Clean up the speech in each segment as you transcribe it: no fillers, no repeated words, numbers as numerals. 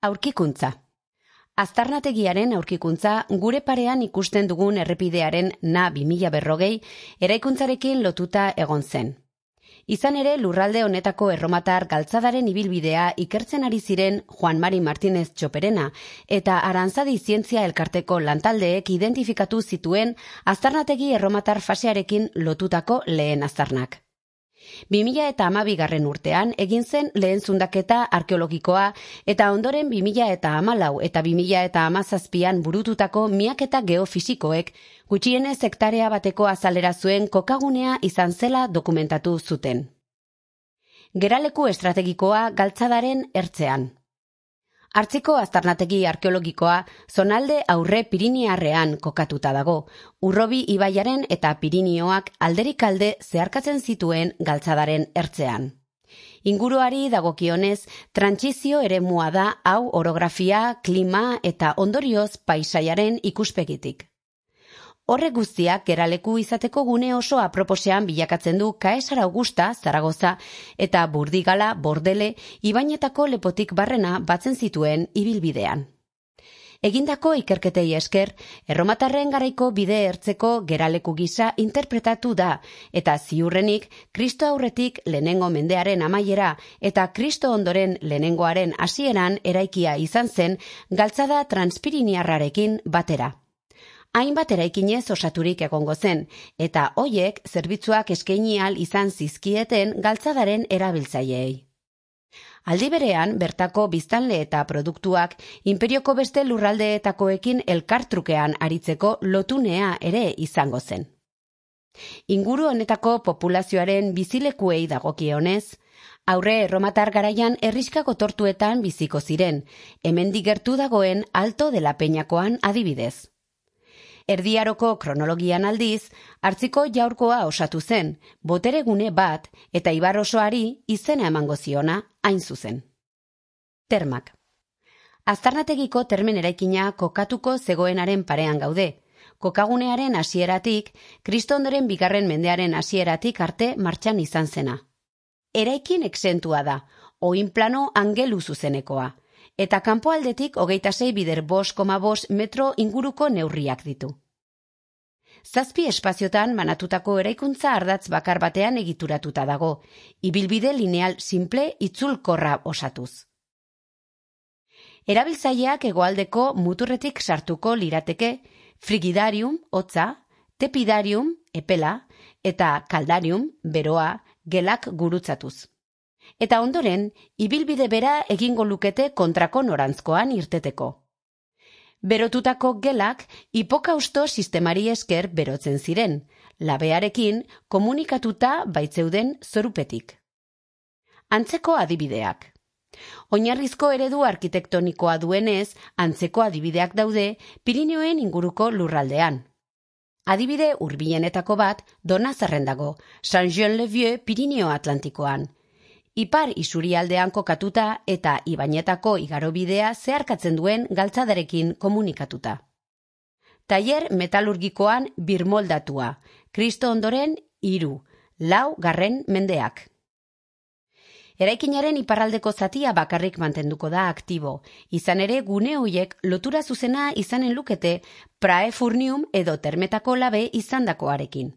Aurkikuntza. Aztarnategiaren aurkikuntza gure parean ikusten dugun errepidearen Na 2040 eraikuntzarekin lotuta egon zen. Izan ere, lurralde honetako erromatar galtzadaren ibilbidea ikertzen ari ziren Juan Mari Martínez Txoperena eta Aranzadi Zientzia Elkarteko lantaldeek identifikatu zituen aztarnategi erromatar fasearekin lotutako lehen aztarnak. 2012 urtean egin zen lehen zundaketa arkeologikoa eta ondoren 2014 eta 2017an burututako miaketa geofisikoek gutxienez hektarea bateko azalera zuen kokagunea izan zela dokumentatu zuten. Geraleku estrategikoa galtzadaren ertzean. Hartziko aztarnategi arkeologikoa zonalde aurre Pirinearrean kokatuta dago, Urrobi ibaiaren eta Pirinioak alderik alde zeharkatzen zituen galtzadaren ertzean. Inguruari dagokionez, trantsizio eremua da hau orografia, klima eta ondorioz paisaiaren ikuspegitik. Horrek guztiak geraleku izateko gune oso aproposean bilakatzen du Kaesar Augusta, Zaragoza eta Burdigala, Bordele, ibainetako lepotik barrena batzen zituen ibilbidean. Egindako ikerketei esker, erromatarren garaiko bide ertzeko geraleku gisa interpretatu da eta ziurrenik Kristo aurretik lehenengo mendearen amaiera eta Kristo ondoren lehenengoaren hasieran eraikia izan zen galtzada transpiriniarrarekin batera. Hainbat eraikinez osaturik egongo zen, eta hoiek zerbitzuak eskaini ahal izan zizkieten galtzadaren erabiltzaileei. Aldi berean, bertako biztanle eta produktuak inperioko beste lurraldeetakoekin elkartrukean aritzeko lotunea ere izango zen. Inguru honetako populazioaren bizilekuei dagokionez, aurre erromatar garaian herrixkako tortuetan biziko ziren, hemendik gertu dagoen Alto de la Peñakoan adibidez. Erdiaroko kronologian aldiz, hartziko jaurkoa osatu zen, boteregune bat eta ibar osoari izena emango ziona hain zuzen. Termak. Aztarnategiko termen eraikina kokatuko zegoenaren parean gaude. Kokagunearen hasieratik, Kristo ondoren 2. mendearen hasieratik arte martxan izan zena. Eraikin exentua da, oinplano angelu zuzenekoa. Eta kanpoaldetik 26,5 metro inguruko neurriak ditu. 7 espaziotan banatutako eraikuntza ardatz bakar batean egituratuta dago, ibilbide lineal simple itzulkorra osatuz. Erabiltzaileak hegoaldeko muturretik sartuko lirateke frigidarium, hotza, tepidarium, epela, eta kaldarium, beroa, gelak gurutzatuz. Eta ondoren, ibilbide bera egingo lukete kontrako norantzkoan irteteko. Berotutako gelak hipokausto sistemari esker berotzen ziren, labearekin komunikatuta baitzeuden zorupetik. Antzeko adibideak. Oinarrizko eredu arkitektonikoa duenez, antzeko adibideak daude Pirineoen inguruko lurraldean. Adibide hurbilenetako bat Donazarren dago, Saint-Jean-le-Vieux Pirineo Atlantikoan. Ipar isurialdean kokatuta eta ibainetako igarobidea zeharkatzen duen galtzadarekin komunikatuta. Tailer metalurgikoan birmoldatua, Kristo ondoren 3-4 mendeak. Eraikinaren iparraldeko zatia bakarrik mantenduko da aktibo, izan ere gune hoiek lotura zuzena izanen lukete praefurnium edo termetako labe izandakoarekin.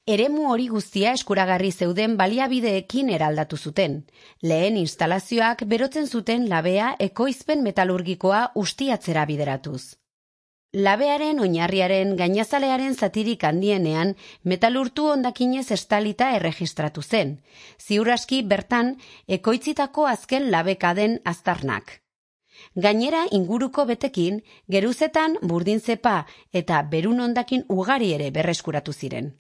Eremu hori guztia eskuragarri zeuden baliabideekin eraldatu zuten. Lehen instalazioak berotzen zuten labea ekoizpen metalurgikoa ustiatzera bideratuz. Labearen oinarriaren gainazalearen zatirik handienean metalurtu hondakinez estalita erregistratu zen. Ziur aski bertan ekoitzitako azken labekaden aztarnak. Gainera inguruko betekin, geruzetan burdin zepa eta berun hondakin ugari ere berreskuratu ziren.